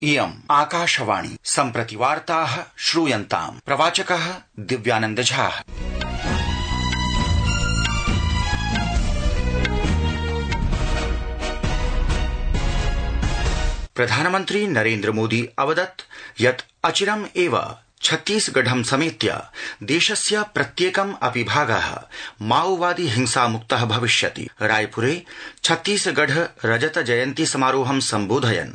इयम् आकाशवाणी सम्प्रति वार्ताः श्रूयन्ताम्। प्रवाचकः दिव्यानंद झा। प्रधानमन्त्री नरेन्द्र मोदी अवदत् यत् अचिरम् एव छत्तीसगढं समेत्य देशस्य प्रत्येकम् अपि भागः माओवादी हिंसामुक्तः भविष्यति। रायपुरे छत्तीसगढ़ रजत जयन्ती समारोहं सम्बोधयन्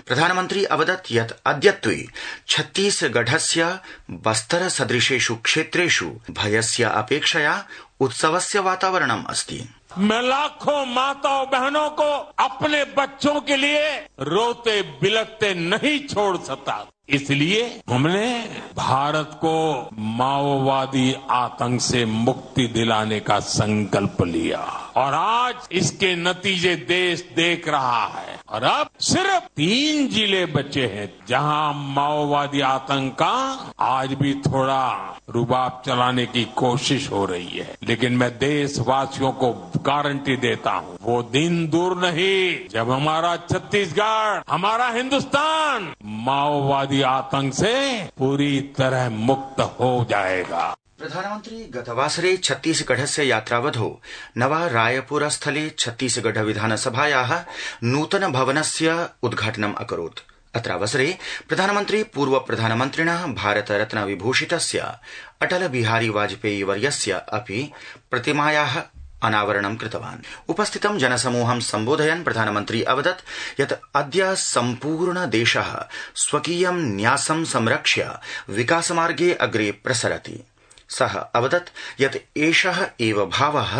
प्रधानमन्त्री अवदत् यत् अद्यत्वे छत्तीसगढ़स्य बस्तर सदृशेषु क्षेत्रेषु भयस्य अपेक्षया उत्सवस्य वातावरणम् अस्ति। मैं लाखों माताओं बहनों को अपने बच्चों के लिए रोते बिलखते नहीं छोड़ सकता, इसलिए हमने भारत को माओवादी आतंक से मुक्ति दिलाने का संकल्प लिया और आज इसके नतीजे देश देख रहा है। और अब सिर्फ 3 जिले बचे हैं जहां माओवादी आतंक का आज भी थोड़ा रुबाब चलाने की कोशिश हो रही है, लेकिन मैं देशवासियों को गारंटी देता हूं वो दिन दूर नहीं जब हमारा छत्तीसगढ़, हमारा हिंदुस्तान माओवादी आतंक से पूरी तरह मुक्त हो जाएगा। प्रधानमन्त्री गतवासरे छत्तीसगढ़स्य यात्रावधौ नवा रायपुर स्थले छत्तीसगढ़ विधानसभायाः नूतन भवनस्य उद्घाटनम् अकरोत्। अत्रावसरे प्रधानमन्त्री पूर्व प्रधानमन्त्रिणः भारत रत्न विभूषितस्य अटल बिहारी वाजपेयी वर्यस्य अपि प्रतिमायाः अनावरणं कृतवान्। उपस्थितं जनसमूहं सम्बोधयन् प्रधानमन्त्री अवदत् यत् अद्य सम्पूर्ण देशः स्वकीयं न्यासं संरक्ष्य विकासमार्गे अग्रे प्रसरति। सः अवदत् यत् एषः एव भावः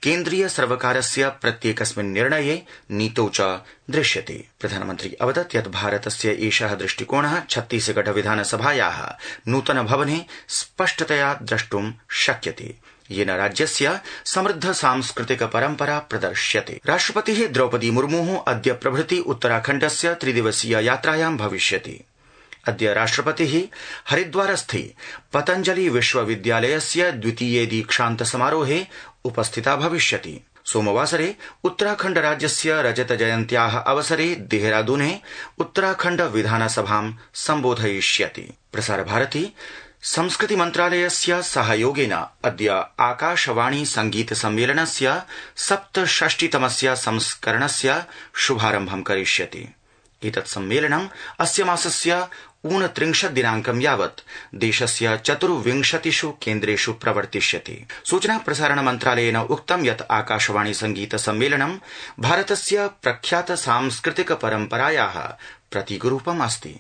केन्द्रीय सर्वकारस्य प्रत्येकस्मिन् निर्णये नीतौ च दृश्यते। प्रधानमन्त्री अवदत् यत् भारतस्य एषः दृष्टिकोणः छत्तीसगढ़ विधानसभायाः नूतन भवने स्पष्टतया द्रष्टुं शक्यते, येन राज्यस्य समृद्ध सांस्कृतिक परम्परा प्रदर्श्यते। राष्ट्रपतिः द्रौपदी मुर्मुः अद्य प्रभृति उत्तराखण्डस्य 3 दिवसीय यात्रायां भविष्यति। अद्य राष्ट्रपतिः हरिद्वारस्थे पतंजलि विश्वविद्यालयस्य द्वितीये दीक्षान्त समारोहे उपस्थिता भविष्यति। सोमवासरे उत्तराखण्ड राज्यस्य रजत जयन्त्याः अवसरे देहरादूने उत्तराखण्ड विधानसभां सम्बोधयिष्यति। प्रसारभारती संस्कृति मन्त्रालयस्य सहयोगेन अद्य आकाशवाणी संगीत सम्मेलनस्य 67तमस्य संस्करणस्य शुभारम्भं करिष्यति। एतत् सम्मेलनम् अस्य मासस्य 29 दिनाङ्कं यावत् देशस्य 24 केन्द्रेषु प्रवर्तिष्यति। सूचना प्रसारण मन्त्रालयेन उक्तं यत् आकाशवाणी संगीत सम्मेलनं भारतस्य प्रख्यात सांस्कृतिक परम्परायाः प्रतीकरूपम् अस्ति।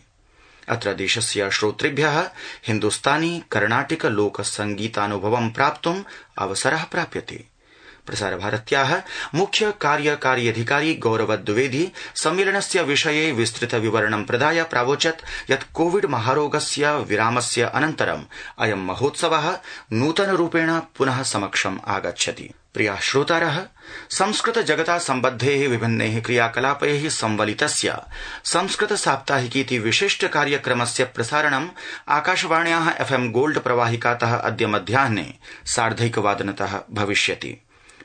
अत्र देशस्य श्रोतृभ्यः हिन्दुस्तानी कर्णाटिक लोक संगीतानुभवं प्राप्तुम् अवसरः प्राप्यते। प्रसारभारत्याः मुख्य कार्यकारी अधिकारी गौरव द्विवेदी सम्मेलनस्य विषये विस्तृत विवरणं प्रदाय प्रावोचत् यत् कोविड महारोगस्य विरामस्य अनन्तरम् अयं महोत्सवः नूतन रूपेण पुनः समक्षम् आगच्छति। प्रियाः श्रोतारः, संस्कृत जगता सम्बद्धेः विभिन्नैः क्रियाकलापैः संवलितस्य संस्कृत साप्ताहिकीति विशिष्ट कार्यक्रमस्य प्रसारणम् आकाशवाण्याः FM गोल्ड प्रवाहिकातः अद्य मध्याह्ने 1:30 भविष्यति।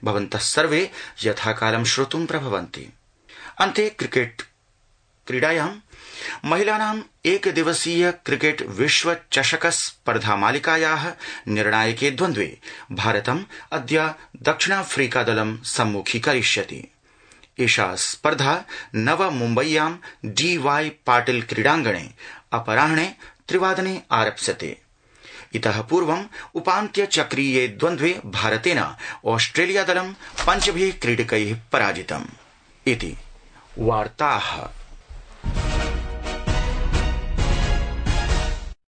भवन्तः सर्वे यथाकालं श्रोतुं प्रभवन्ति। अन्ते क्रिकेट क्रीडायां महिलानाम् एकदिवसीय क्रिकेट विश्व चषक स्पर्धा मालिकायाः निर्णायके द्वन्द्वे भारतम् अद्य दक्षिणाफ्रीका दलं सम्मुखीकरिष्यति। एषा स्पर्धा नव मुम्बय्यां DY पाटिल क्रीडाङ्गणे अपराह्णे 3 आरप्स्यते। इतः पूर्वम् उपान्त्य चक्रीये द्वन्द्वे भारतेन ऑस्ट्रेलिया दलं 5 क्रीडकैः पराजितम्। इति वार्ताः।